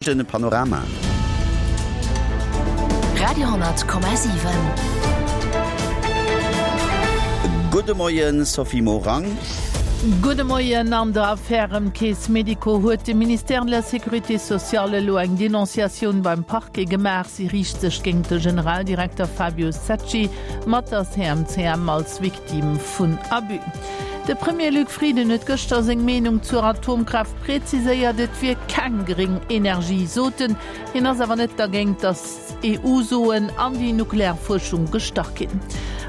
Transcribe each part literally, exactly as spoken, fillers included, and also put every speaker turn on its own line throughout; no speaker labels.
Den Panorama.
Radio hundert Komma siwen.
Gudde Moien, Sophie Morang.
Gudde Moien. An der Affär ëm d'Caisse Medico huet de Ministère de la Sécurité sociale elo eng Denonciatioun beim Parquet gemaach. Si riicht sech géint de Generaldirekter Fabio Secci mat der C M C M als Victime vun Abus. De Premier Luc Frieden huet gëschter seng Meenung zur Atomkraaft präziséiert, et wier keng gréng Energie, sot en. Hien ass awer net dergéint, datt E U-Suen an déi nuklear Fuerschung gestach ginn.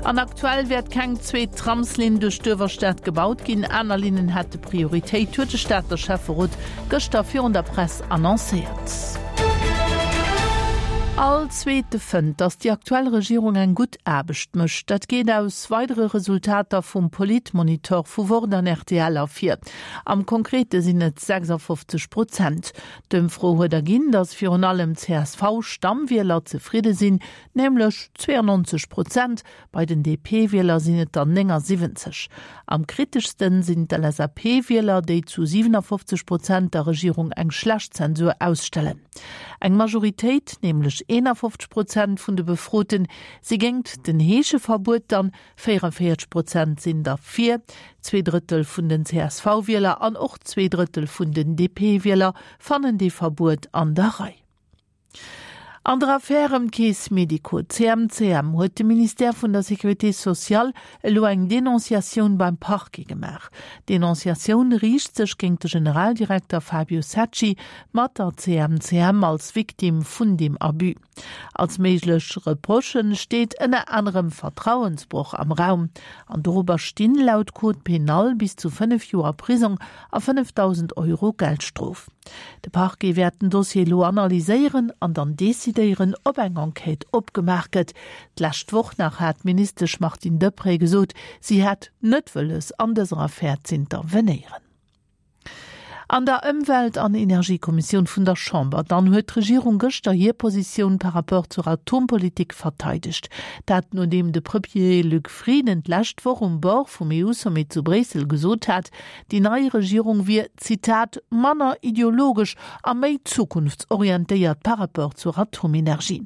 An aktuell wäert keng zweet Tramslinn duerch d'Uewerstad gebaut ginn. Aner Linnen hätte Prioritéit, huet de Stater Schäfferot gëschter virun der Press annoncéiert. All Zweete fënnt, datt déi aktuell Regierung eng gutt Aarbecht mécht. Dat geet aus weidere Resultater vum Politmonitor vu Wort an R T L ervir. Am Konkrete sinn et sechsafofzeg Prozent. D'Ëmfro huet erginn, datt virun allem C S V-Stammwieler zefridde sinn, nämlech zweeannonzeg Prozent, bei den D P-Wieler sinn et der néngasiwwenzeg. Am kriteschsten sinn d'L S A P-Wieler, déi zu siwenafofzeg Prozent der Regierung eng schlecht Zensur ausstellen. Eng Majoritéit, nämlech eenafofzeg Prozent vun de Befroten, si géint den Heescheverbuet, dann véierunvéierzeg Prozent sinn derfir. Zwee Drëttel vun den C S V-Wieler an och zwee Drëttel vun den D P-Wieler fannen dee Verbuet an der Rei. An der Affär ëm d'Caisse Medico C M C M huet de Ministère vun der Sécurité sociale elo eng Denonciatioun beim Parquet gemaach. D'Denonciatioun riicht sech géint de Generaldirekter Fabio Secci mat der C M C M als Victime vun deem Abus. Als méiglech Reprochen steet ënner anerem Vertrauensbroch am Raum. An dorobber stinn laut Code pénal bis zu fënnef Joer Prisong a fënnefdausend Euro Geldstrof. De Parquet wäert den Dossier elo analyséieren an dann decidéieren, ob eng Enquête opgemaach gëtt. D'lescht Woch nach hat d'Ministesch Martine Deprez gesot, si hätt net wëlles an dëser Affär z'intervenéieren. An der Ëmwelt an Energiekommissioun vun der Chamber dann huet d'Regierung gëschter hir Positioun par rapport zur Atompolitik verteidegt. Dat nodeem de Premier Luc Frieden d'lescht Woch um Bord vum E U-Sommet zu Bréissel gesot hat, déi nei Regierung wier, Zitat, manner ideologesch a méi zukunftsorientéiert par rapport zur Atomenergie.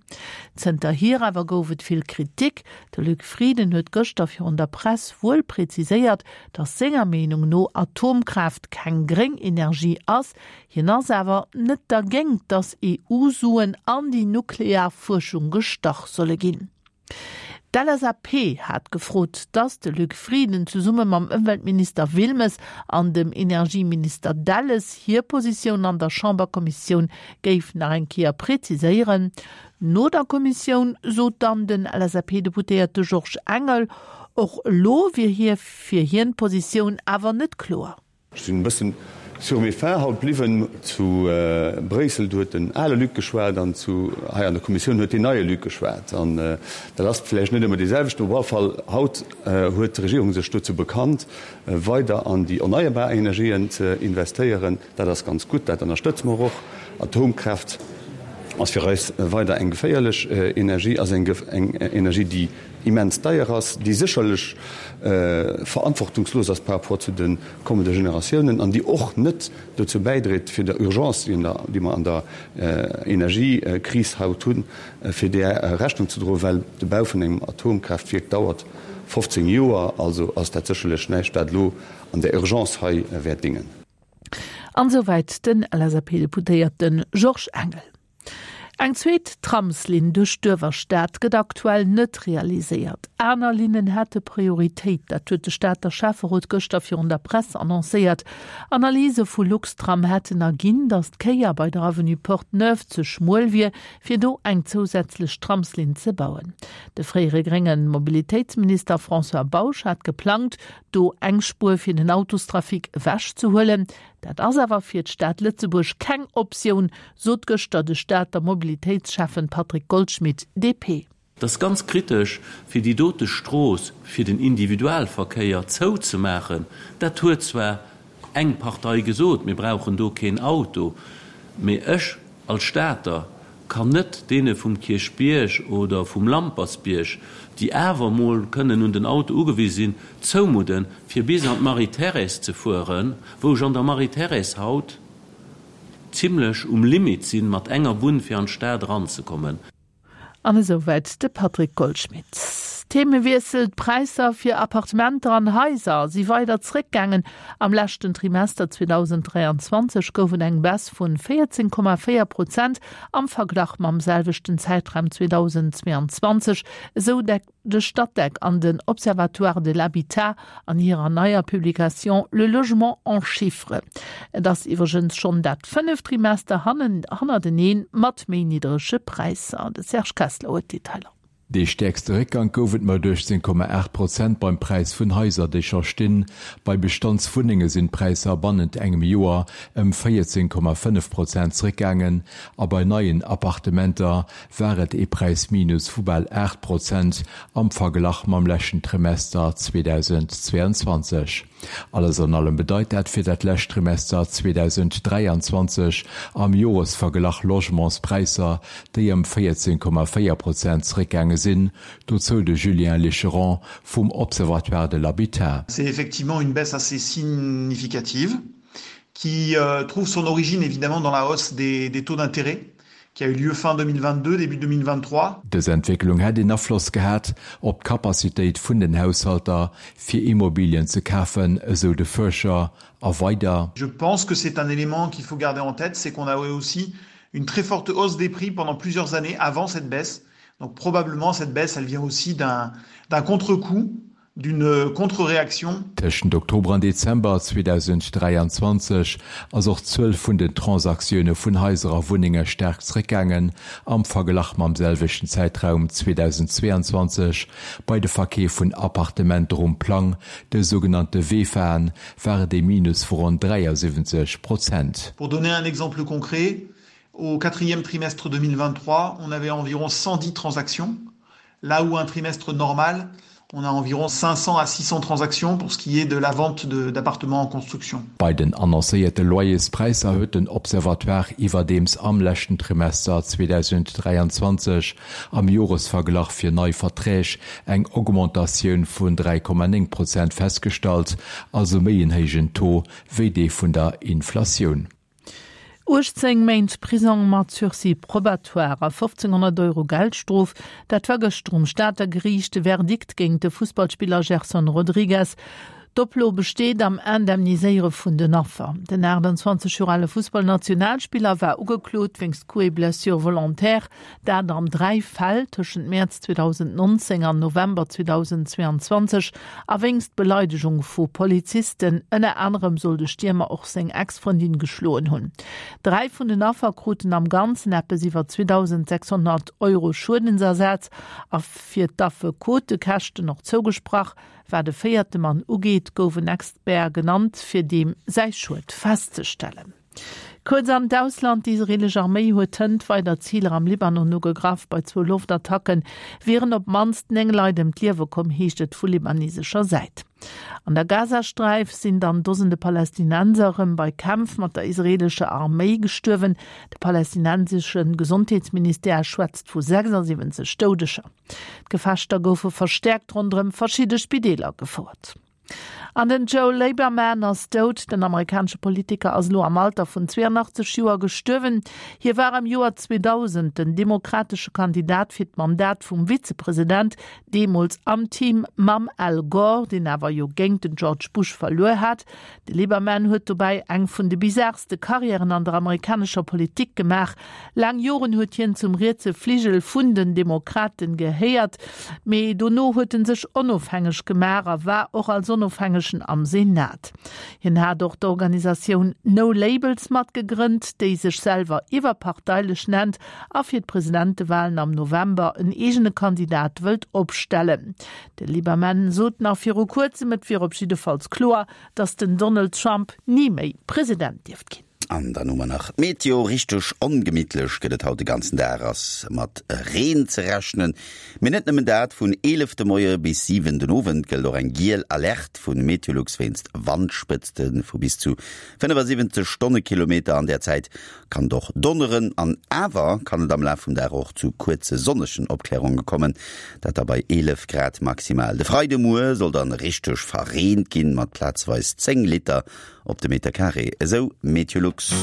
Zënterhier awer gouf et vill Kritik. De Luc Frieden huet gëschter virun der Press wuel präziséiert, datt senger Meenung no Atomkraaft keng gréng Energie ass, hien ass awer net dergéint, datt E U-Suen an déi nuklear Fuerschung gestach solle ginn. D'L S A P hat gefrot, datt de Luc Frieden zesumme mam Ëmweltminister Wilmes an dem Energieminister Delles hir Positioun an der Chamberkommissioun géif nach eng Kéier präziséieren. No der Kommissioun sot dann den L S A P-Deputéierte Georges Engel, och elo wier hir fir hien d'Positioun awer net kloer.
Ech sinn e bëssen sur mes faim haut bliwwen. Zu Bréissel huet den ale Luc geschwat an zu hei an der Kommissioun huet deen neie Luc geschwat. An dat ass vläicht net ëmmer dee selwechten. Op alle Fall haut huet d'Regierung sech dozou bekannt, weider an déi erneierbar Energien ze investéieren. Dat ass ganz gutt, dat ënnerstëtze mer och. Atomkraaft ass fir eis weider eng geféierlech Energie, ass eng Energie, déi immens deier ass, déi sécherlech verantwortungslos ass par rapport zu de kommende Generatiounen an déi och net dozou bäidréit, fir der Urgence, déi mer an der Energiekris haut hunn, fir där Rechnung ze droen, well de Bau vun engem Atomkraaftwierk dauert fofzéng Joer. Also ass dat sécherlech näischt, wat elo an der Urgence hei wäert déngen.
An esouwäit den L S A P-Deputéierte Georges Engel. Eng zweet Tramslinn duerch d'Uewerstad gëtt aktuell net realiséiert. Aner Linnen hätte Prioritéit, dat huet de Stater Schäfferot gëschter virun der Press annoncéiert. Analyse vu Luxtram hätten erginn, datt d'Kéier bei der Avenue Porte-Neuve ze schmuel wier, fir do eng zousätzlech Tramslinn ze bauen. De fréiere grénge Mobilitéitsminister François Bausch hat geplangt, do eng Spuer fir den Autostrafic ewechzehuelen. Dat ass awer fir d'Stad Lëtzebuerg keng Optioun, sot gëschter de Stater Mobilitéitsschäffen Patrick Goldschmidt, D P.
Dat ass ganz kritesch, fir déi dote Strooss fir den Individualverkéier zouzemaachen. Dat huet zwar eng Partei gesot, mir brauchen do keen Auto, mee ech als Stater kann net deene vum Kierchbierg oder vum Lampertsbierg, déi awer mol kënnen un den Auto ugewise sinn, zoumudden, fir bis an d'Marie-Thérèse ze fueren, wou ech an der Marie-Thérèse haut zimlech um Limit sinn, mat enger Bunn fir an d'Stad eranzekommen.
An esouwäit de Patrick Goldschmidt. Themewiessel, D'Präisser fir Appartementer an Haiser si weider zréckgaangen. Am leschten Trimester zweedausenddräianzwanzeg gouf et eng Baisse vun véierzéng Komma véier Prozent am Verglach mam selwechten Zäitraum zweedausendzweeanzwanzeg, esou de Statec an den Observatoire de l'habitat an hirer neier Publication Le logement en chiffres. Et ass iwwregens schonn dat fënneft Trimester hannerteneen mat méi niddrege Präisser. De Serge Kessler huet d'Detailer.
Dee stäerkste Réckgank gouf et mat uechtzéng Komma aacht Prozent beim Präis vun Haiser, déi scho stinn. Bei Bestandswunnenge sinn d'Präisser bannent engem Joer ëm véierzéng Komma fënnef Prozent zeréckgaangen a bei neien Appartementer war et ee Präisminus vu bal aacht Prozent am Verglach mam leschten Trimester zweedausendzweeanzwanzeg. Alles an allem bedeit dat fir dat lescht Trimester zweedausenddräianzwanzeg am Joresverglach Logementspräisser, déi ëm véierzéng Komma véier Prozent zeréckgaange sinn, dozou de Julien Licheron vum Observatoire de l'habitat.
C'est effectivement une baisse assez significative qui trouve son origine évidemment dans la hausse des, des taux d'intérêt qui a eu lieu fin deux mille vingt-deux, début deux mille vingt-trois.
Dës Entwécklung hätt een Afloss gehat op d'Capacitéit vun den Haushalter, fir Immobilien ze kafen, esou de Fuerscher a weider.
Je pense que c'est un élément qu'il faut garder en tête, c'est qu'on a eu aussi une très forte hausse des prix pendant plusieurs années avant cette baisse. Donc probablement cette baisse, elle vient aussi d'un d'un contre-coup, d'une contre-réaction.
Tëschent Oktober an Dezember zweedausenddräianzwanzeg ass och d'Zuel vun den Transaktioune vun Haiser a Wunnenge staark zeréckgaangen am Verglach mam selwechten Zäitraum zweedausendzweeanzwanzeg. Bei de Verkeef vun Appartementer um Plang, de sougenannte VEFAen, war et ee Minus vu ronn dräiasiwwenzeg Prozent.
Pour donner un exemple concret, au quatrième trimestre deux mille vingt-trois, on avait environ cent dix transactions, là où un trimestre normal, on a environ cinq cents à six cents transactions pour ce qui est de la vente d'appartements en construction.
Bei den annoncéierte Loyerspräisser huet den Observatoire iwwerdeems am leschten Trimester zweedausenddräianzwanzeg am Joresverglach fir nei Verträg eng Augmentatioun vun dräi Komma néng Prozent festgestallt, also méi en héijen Taux wéi dee vun der Inflatioun.
uechtzéng Méint Prisong mat Sursis probatoire a fofzénghonnert Euro Geldstrof, dat war gëschter um Stater Geriicht de Verdikt géint de Fussballspiller Gerson Rodrigues. D'Oplo besteet am Indemniséiere vun den Affer. Den achtanzwanzeg Joer ale Fussballnationalspiller war ugeklot wéinst Coups et blessures volontaires, dat an dräi Fäll tëschent Mäerz zweedausendnonzéng an November zweedausendzweeanzwanzeg, a wéinst Beleidegung vu Polizisten. Ënner anerem soll de Stiermer och seng Ex-Frëndin geschloen hunn. Dräi vun den Affer kruten am Ganzen eppes iwwer zweedausendsechshonnert Euro Schuedensersaz a fir d'Affekotekäschten och zougesprach. Wat de véierte Mann ugeet, gouf en Expert genannt, fir deem säi Schued festzestellen. Kuerz an d'Ausland, D'israeelesch Arméi huet hënt weider Ziler am Libanon ugegraff. Bei zwou Loftattacke wieren op d'mannst néng Leit ëm d'Liewe komm, heescht et vu libanesescher Säit. An der Gazasträif sinn dann Dosende Palästinenser erëm bei Kämpf mat der israeelescher Arméi gestuerwen. De palästinensesche Gesondheetsministère schwätzt vu sechsasiwwenzeg Doudeger. D'Gefechter goufe verstäerkt ronderëm verschidde Spideeler gefouert. An den Joe Lieberman ass dout. Den amerikanesche Politiker ass elo am Alter vun zweeanachtzeg Joer gestuerwen. Hie war am Joer zweedausend den demokratesche Kandidat fir d'Mandat vum Vizepresident, deemools am Team mam Al Gore, deen awer jo géint den George Bush verluer hat. De Lieberman huet dobäi eng vun de bizarste Karriären an der amerikanescher Politik gemaach. Laang Joren huet hien zum rietse Fligel vun den Demokraten gehéiert, mee dono huet en sech onofhängeg gemaach a war och als Onofhängegen am Senat. Hien hat och d'Organisatioun No Labels matgegrënnt, déi sech selwer iwwerparteilech nennt a fir d'Presidentewalen am November en eegene Kandidat wëllt opstellen. De Lieberman sot nach viru kuerzem, et wier op jiddefalls kloer, datt den Donald Trump ni méi President dierft ginn.
An dann hu mer nach d'Meteo, Richteg ongemittlech gëtt et haut de ganzen Dag, ass mat Reen ze rechnen. Mee net nëmmen dat, vun eelef de Moie bis siwen den Owend gëllt och eng giel Alerte vu Meteolux wéinst Wandspëtzte vu bis zu fënnefasiwwenzeg Stonnekilometer. An där Zäit kann et och donneren an awer kann et am Laf vum Dag och zu kuerze sonnegen Opklärunge kommen, dat da bei eelef Grad maximal. De Freidemuer soll dann richteg verreent ginn, mat plazeweis zéng Liter op de Meter Carré, esou Meteolux.